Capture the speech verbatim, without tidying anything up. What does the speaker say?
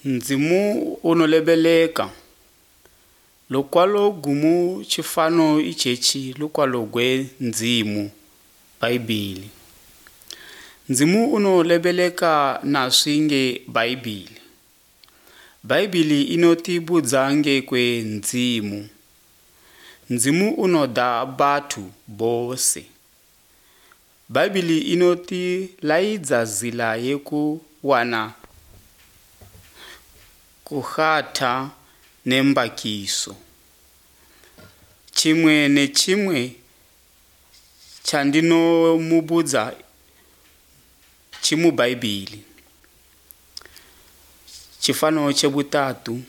Ndzimu unolebeleka Lukwalo gumu tshifano itshetshi lukwalo gwe Ndzimu Bhaibhili. Ndzimu unolebeleka naswi nge Bhaibhili. Bhaibhili inotibudza ngekwe Ndzimu. Ndzimu unoda bathu bose. Bhaibhili inotilaidza zila yekuwana kuhata nembakiso. Chimwe nechimwe chandinomubudza chimubhaibhili. Chifano chebutatu.